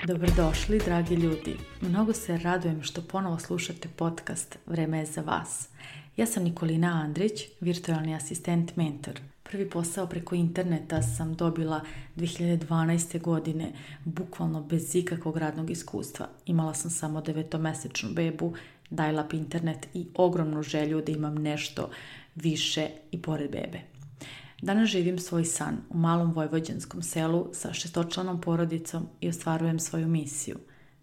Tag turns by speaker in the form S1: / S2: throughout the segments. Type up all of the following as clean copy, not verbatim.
S1: Dobrodošli, dragi ljudi. Mnogo se radujem što ponovo slušate podcast Vreme je za vas. Ja sam Nikolina Andrić, virtualni asistent mentor. Prvi posao preko interneta sam dobila 2012. godine, bukvalno bez ikakvog radnog iskustva. Imala sam samo 9-mesečnu bebu, dial-up internet i ogromnu želju da imam nešto više i pored bebe. Danas živim svoj san u malom vojvođanskom selu sa 6-članom porodicom i ostvarujem svoju misiju.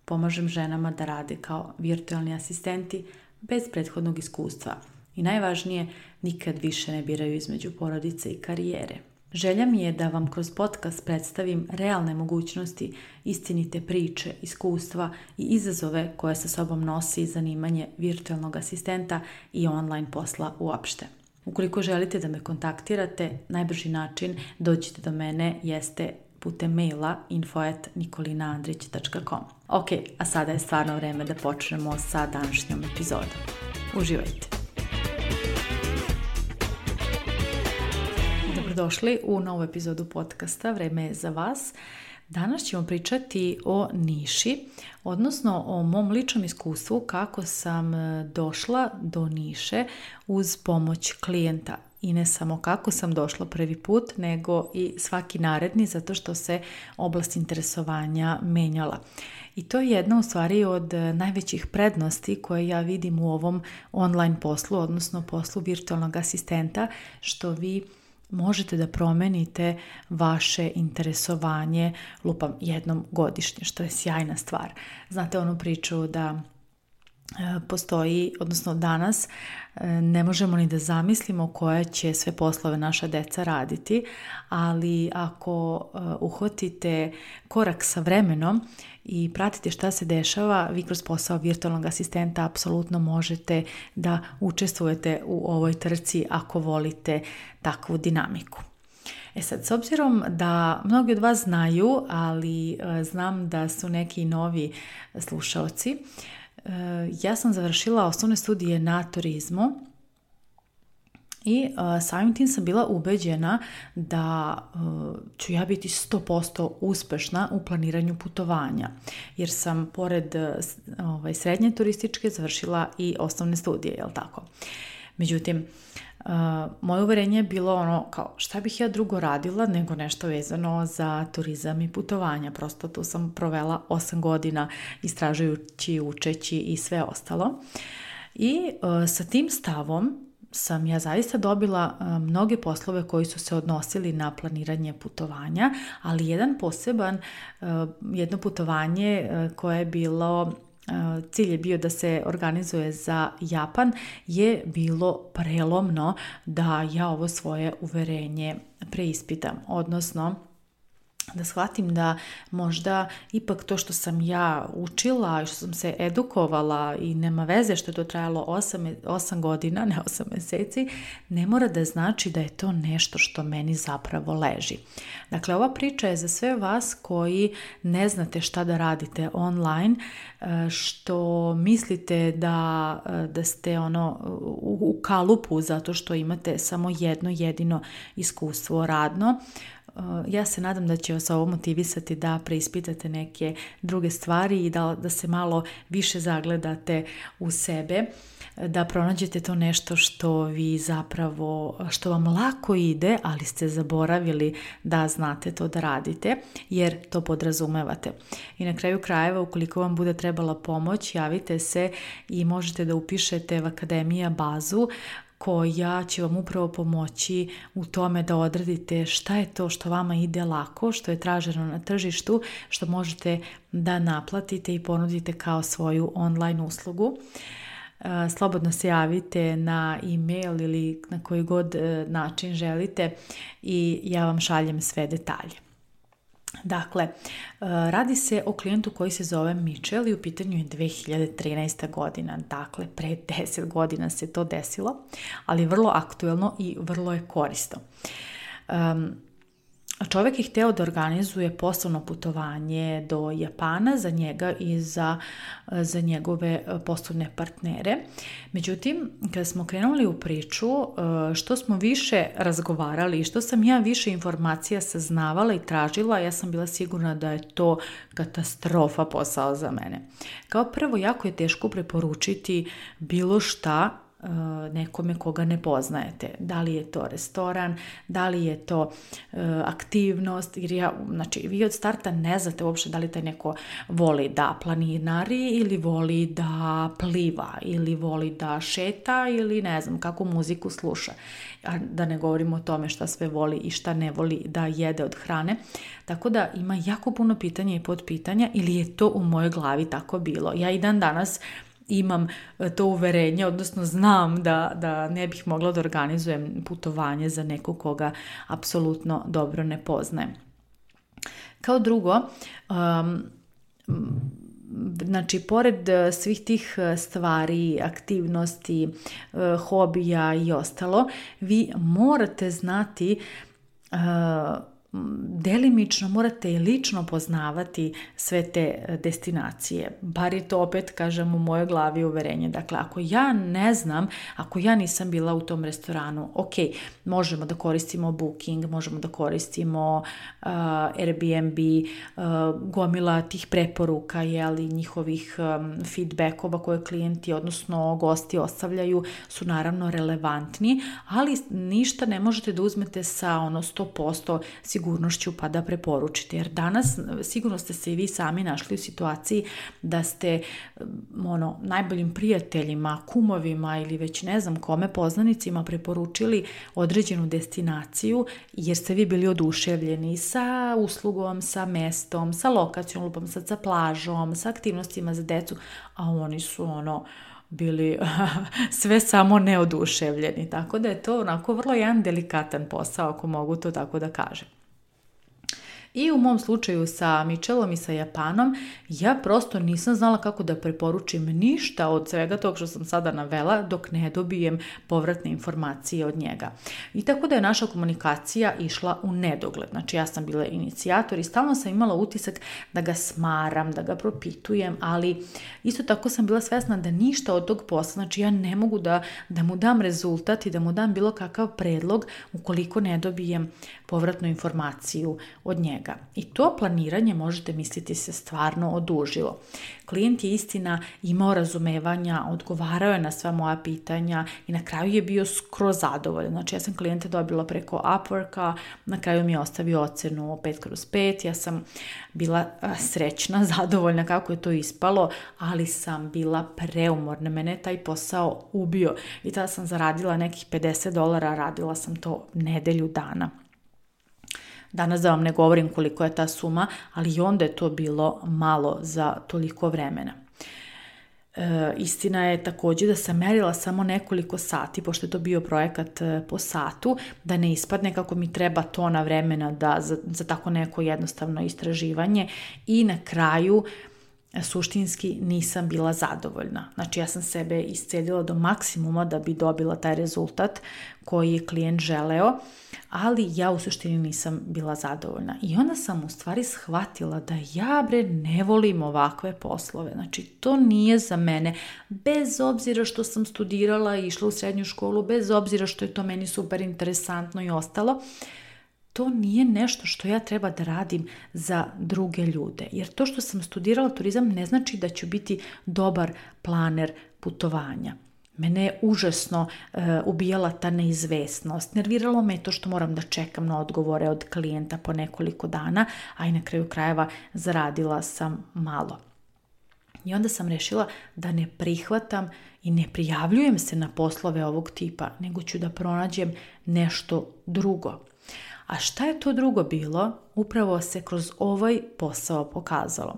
S1: Pomažem ženama da rade kao virtualni asistenti bez prethodnog iskustva i najvažnije, nikad više ne biraju između porodice i karijere. Želja mi je da vam kroz podcast predstavim realne mogućnosti, istinite priče, iskustva i izazove koje sa sobom nosi zanimanje virtualnog asistenta i online posla uopšte. Ukoliko želite da me kontaktirate, najbrži način dođite do mene jeste putem maila info@nikolinaandrić.com. Ok, a sada je stvarno vreme da počnemo sa današnjom epizodom. Uživajte! Dobrodošli u novu epizodu podcasta Vreme je za vas. Danas ćemo pričati o niši, odnosno o mom ličnom iskustvu kako sam došla do niše uz pomoć klijenta. I ne samo kako sam došla prvi put, nego i svaki naredni, zato što se oblast interesovanja menjala. I to je jedna u stvari od najvećih prednosti koje ja vidim u ovom online poslu, odnosno poslu virtualnog asistenta, što vi možete da promenite vaše interesovanje jednom godišnje, što je sjajna stvar. Znate onu priču da postoji, odnosno danas ne možemo ni da zamislimo koje će sve poslove naša deca raditi, ali ako uhvatite korak sa vremenom i pratite šta se dešava, vi kroz posao virtualnog asistenta apsolutno možete da učestvujete u ovoj trci ako volite takvu dinamiku. Sad, s obzirom da mnogi od vas znaju, ali znam da su neki novi slušaoci, ja sam završila osnovne studije na turizmu i samim tim sam bila ubeđena da ću ja biti 100% uspešna u planiranju putovanja, jer sam pored srednje turističke završila i osnovne studije, jel tako? Međutim, moje uverenje je bilo kao šta bih ja drugo radila nego nešto vezano za turizam i putovanja. Prosto tu sam provela 8 godina istražujući, učeći i sve ostalo. I sa tim stavom sam ja zaista dobila mnoge poslove koji su se odnosili na planiranje putovanja, ali jedno putovanje koje je bilo, cilj je bio da se organizuje za Japan, je bilo prelomno da ja ovo svoje uverenje preispitam, odnosno da shvatim da možda ipak to što sam ja učila i što sam se edukovala i nema veze što je to trajalo 8 godina, ne 8 meseci, ne mora da znači da je to nešto što meni zapravo leži. Dakle, ova priča je za sve vas koji ne znate šta da radite online, što mislite da ste u kalupu zato što imate samo jedno jedino iskustvo radno. Ja se nadam da će vas ovo motivisati da preispitate neke druge stvari i da se malo više zagledate u sebe, da pronađete to nešto što vam lako ide, ali ste zaboravili da znate to da radite, jer to podrazumevate. I na kraju krajeva, ukoliko vam bude trebala pomoć, javite se i možete da upišete v Akademija bazu koja će vam upravo pomoći u tome da odredite šta je to što vama ide lako, što je traženo na tržištu, što možete da naplatite i ponudite kao svoju online uslugu. Slobodno se javite na e-mail ili na koji god način želite i ja vam šaljem sve detalje. Dakle, radi se o klijentu koji se zove Mitchell i u pitanju je 2013. godina. Dakle, pre 10 godina se to desilo, ali vrlo aktuelno i vrlo je korisno. čovjek je htio da organizuje poslovno putovanje do Japana za njega i za njegove poslovne partnere. Međutim, kada smo krenuli u priču, što smo više razgovarali i što sam ja više informacija saznavala i tražila, ja sam bila sigurna da je to katastrofa posao za mene. Kao prvo, jako je teško preporučiti bilo šta nekome koga ne poznajete. Da li je to restoran, da li je to aktivnost, jer vi od starta ne znate uopšte da li taj neko voli da planinari ili voli da pliva ili voli da šeta ili ne znam kakvu muziku sluša. A da ne govorimo o tome šta sve voli i šta ne voli da jede od hrane. Tako da ima jako puno pitanja i podpitanja, ili je to u mojoj glavi tako bilo. Ja i dan danas imam to uverenje, odnosno znam da ne bih mogla da organizujem putovanje za nekog koga apsolutno dobro ne poznajem. Kao drugo, pored svih tih stvari, aktivnosti, hobija i ostalo, vi morate znati delimično morate i lično poznavati sve te destinacije. Bar je to opet, kažem, u mojoj glavi uverenje. Dakle, ako ja ne znam, ako ja nisam bila u tom restoranu, ok, možemo da koristimo Booking, možemo da koristimo Airbnb, gomila tih preporuka, njihovih feedbackova koje klijenti, odnosno gosti ostavljaju, su naravno relevantni, ali ništa ne možete da uzmete sa 100% sigurnošću pa da preporučite. Jer danas sigurno ste se i vi sami našli u situaciji da ste najboljim prijateljima, kumovima ili već ne znam kome, poznanicima preporučili određenu destinaciju jer ste vi bili oduševljeni sa uslugom, sa mestom, sa lokacijom, lupom sad sa plažom, sa aktivnostima za decu, a oni su bili sve samo neoduševljeni. Tako da je to onako vrlo jedan delikatan posao, ako mogu to tako da kažem. I u mom slučaju sa Mitchellom i sa Japanom, ja prosto nisam znala kako da preporučim ništa od svega tog što sam sada navela dok ne dobijem povratne informacije od njega. I tako da je naša komunikacija išla u nedogled. Znači ja sam bila inicijator i stalno sam imala utisak da ga smaram, da ga propitujem, ali isto tako sam bila svesna da ništa od tog posla, znači ja ne mogu da mu dam rezultat i da mu dam bilo kakav predlog ukoliko ne dobijem povratnu informaciju od njega. I to planiranje, možete misliti, se stvarno odužilo. Klijent je istina imao razumevanja, odgovarao je na sva moja pitanja i na kraju je bio skroz zadovoljan. Znači ja sam klijente dobila preko Upworka, na kraju mi je ostavio ocenu 5/5, ja sam bila srećna, zadovoljna kako je to ispalo, ali sam bila preumorna, mene je taj posao ubio i tada sam zaradila nekih $50, radila sam to nedelju dana. Danas da vam ne govorim koliko je ta suma, ali i onda je to bilo malo za toliko vremena. Istina je također da sam merila samo nekoliko sati, pošto je to bio projekat po satu, da ne ispadne kako mi treba tona vremena za tako neko jednostavno istraživanje i na kraju suštinski nisam bila zadovoljna. Znači ja sam sebe iscedila do maksimuma da bi dobila taj rezultat koji je klijent želeo, ali ja u suštini nisam bila zadovoljna. I onda sam u stvari shvatila da ja ne volim ovakve poslove. Znači to nije za mene, bez obzira što sam studirala i išla u srednju školu, bez obzira što je to meni super interesantno i ostalo. To nije nešto što ja treba da radim za druge ljude. Jer to što sam studirala turizam ne znači da ću biti dobar planer putovanja. Mene je užasno ubijala ta neizvesnost. Nerviralo me to što moram da čekam na odgovore od klijenta po nekoliko dana, a i na kraju krajeva zaradila sam malo. I onda sam rešila da ne prihvatam i ne prijavljujem se na poslove ovog tipa, nego ću da pronađem nešto drugo. A šta je to drugo bilo? Upravo se kroz ovaj posao pokazalo.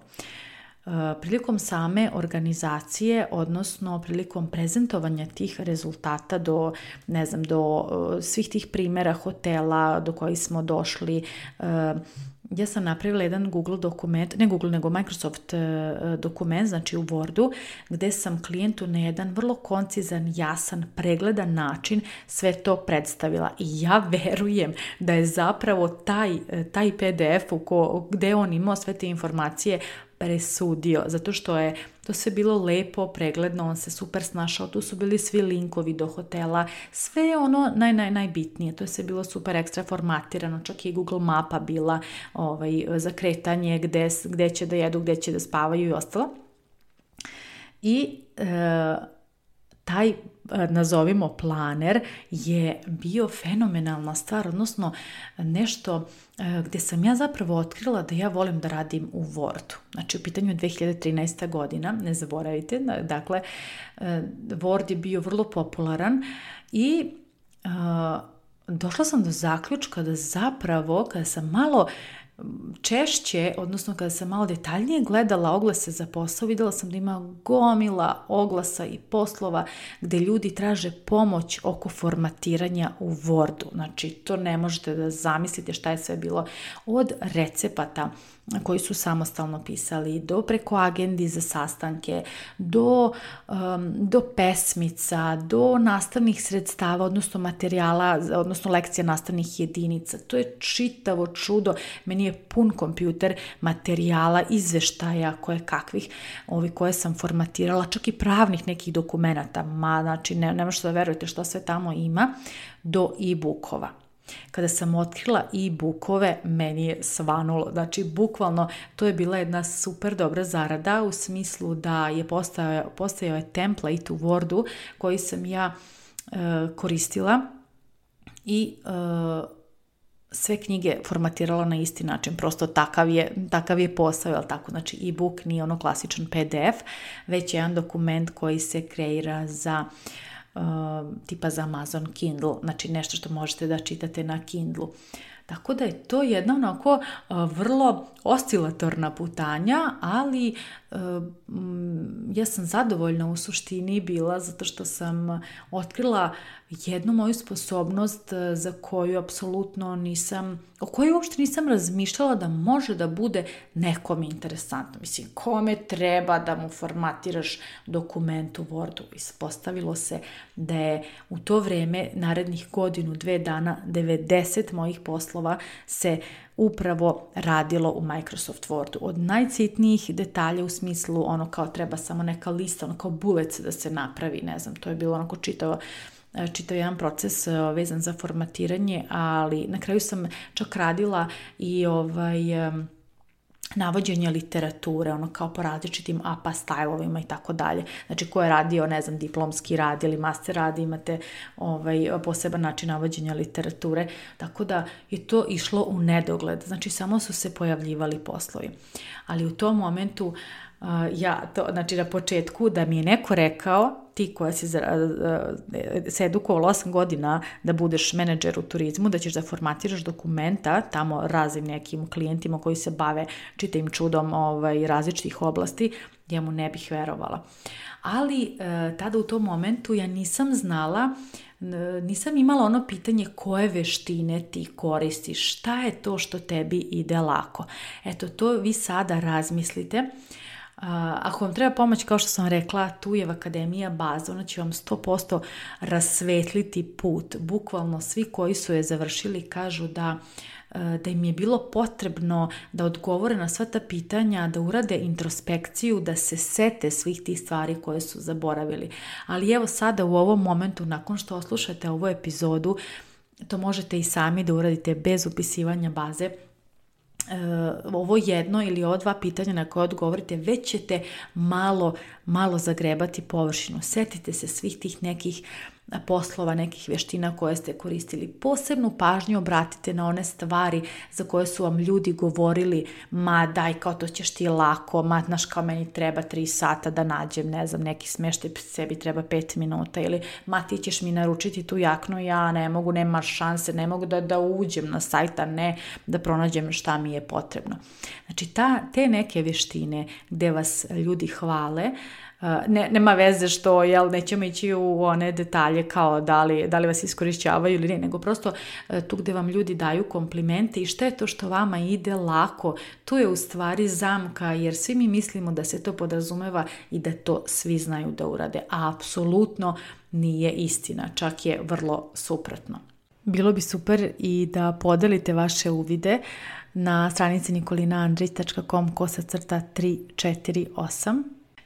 S1: Prilikom same organizacije, odnosno prilikom prezentovanja tih rezultata do svih tih primjera hotela do kojih smo došli, ja sam napravila jedan Google dokument, ne Google nego Microsoft dokument, znači u Wordu, gdje sam klijentu na jedan vrlo koncizan, jasan, pregledan način sve to predstavila. I ja verujem da je zapravo taj PDF gdje on imao sve te informacije presudio, zato što je to sve bilo lepo, pregledno, on se super snašao, tu su bili svi linkovi do hotela, sve ono najbitnije, to je sve bilo super ekstra formatirano, čak i Google mapa bila za kretanje, gde će da jedu, gde će da spavaju i ostalo. I taj, nazovimo, planer je bio fenomenalna stvar, odnosno nešto gdje sam ja zapravo otkrila da ja volim da radim u Wordu. Znači u pitanju je 2013. godina, ne zaboravite, dakle Word je bio vrlo popularan i došla sam do zaključka da zapravo kada sam malo češće, odnosno kada sam malo detaljnije gledala oglase za posao, vidjela sam da ima gomila oglasa i poslova gdje ljudi traže pomoć oko formatiranja u Wordu. Znači, to ne možete da zamislite šta je sve bilo, od recepata koji su samostalno pisali, do preko agendi za sastanke, do pesmica, do nastavnih sredstava, odnosno materijala, odnosno lekcija nastavnih jedinica. To je čitavo čudo. Meni je pun kompjuter materijala, izveštaja kakvih, koje sam formatirala, čak i pravnih nekih dokumenata. Znači, ne možete da verujete što sve tamo ima, do e-bookova. Kada sam otkrila e-bookove, meni je svanulo. Znači, bukvalno, to je bila jedna super dobra zarada u smislu da je postojao je template u Wordu koji sam ja koristila i sve knjige formatirala na isti način. Prosto takav je posao, jel tako? Znači, e-book nije ono klasičan PDF, već je jedan dokument koji se kreira za tipa za Amazon Kindle, znači nešto što možete da čitate na Kindlu. Tako da je to jedna onako vrlo oscilatorna putanja, ali ja sam zadovoljna u suštini bila zato što sam otkrila jednu moju sposobnost za koju apsolutno o kojoj uopšte nisam razmišljala da može da bude nekom interesantno. Mislim, kome treba da mu formatiraš dokument u Wordu? Ispostavilo se da je u to vreme, narednih 1-2 dana, 90 mojih poslova se upravo radilo u Microsoft Wordu. Od najcitnijih detalja u smislu ono kao treba samo neka lista, ono kao bullet da se napravi, ne znam, to je bilo onako čitavo jedan proces vezan za formatiranje, ali na kraju sam čak radila i navođenje literature, ono kao po različitim APA stajlovima i tako dalje. Znači, ko je radio, ne znam, diplomski rad ili master rad, imate poseban način navođenja literature, tako da je to išlo u nedogled. Znači, samo su se pojavljivali poslovi. Ali u tom momentu, znači na početku, da mi je neko rekao, ti koja si se edukovala 8 godina da budeš menadžer u turizmu, da ćeš da formatiraš dokumenta tamo raznim nekim klijentima koji se bave čitavim čudom različitih oblasti, ja mu ne bih verovala. Ali tada u tom momentu ja nisam znala, nisam imala ono pitanje koje veštine ti koristiš, šta je to što tebi ide lako. Eto, to vi sada razmislite. Ako vam treba pomoć, kao što sam rekla, tu je Akademija baza, ona će vam 100% rasvetliti put. Bukvalno svi koji su je završili kažu da im je bilo potrebno da odgovore na sva ta pitanja, da urade introspekciju, da se sete svih tih stvari koje su zaboravili. Ali evo sada u ovom momentu, nakon što oslušate ovu epizodu, to možete i sami da uradite bez upisivanja baze. Ovo jedno ili ova 2 pitanja na koje odgovorite, već ćete malo zagrebati površinu. Setite se svih tih nekih poslova, nekih vještina koje ste koristili. Posebnu pažnju obratite na one stvari za koje su vam ljudi govorili, ma daj, kao to ćeš ti lako, ma znaš kao meni treba 3 sata da nađem, ne znam, neki smještaj, sebi treba 5 minuta, ili ma ti ćeš mi naručiti tu jaknu, ja ne mogu, nema šanse, ne mogu da uđem na sajta, ne da pronađem šta mi je potrebno. Znači te neke vještine gdje vas ljudi hvale, nema veze što nećemo ići u one detalje kao da li vas iskorišćavaju ili ne, nego prosto tu gde vam ljudi daju komplimente i šta je to što vama ide lako, to je u stvari zamka, jer svi mi mislimo da se to podrazumeva i da to svi znaju da urade, a apsolutno nije istina, čak je vrlo suprotno. Bilo bi super i da podelite vaše uvide na stranici nikolinaandrić.com/348.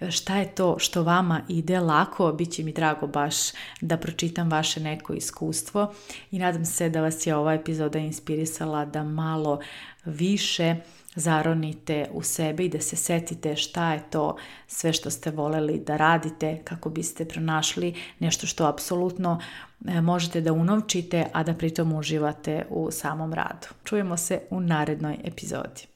S1: Šta je to što vama ide lako, bit će mi drago baš da pročitam vaše neko iskustvo i nadam se da vas je ova epizoda inspirisala da malo više zaronite u sebe i da se setite šta je to sve što ste voleli da radite kako biste pronašli nešto što apsolutno možete da unovčite, a da pritom uživate u samom radu. Čujemo se u narednoj epizodi.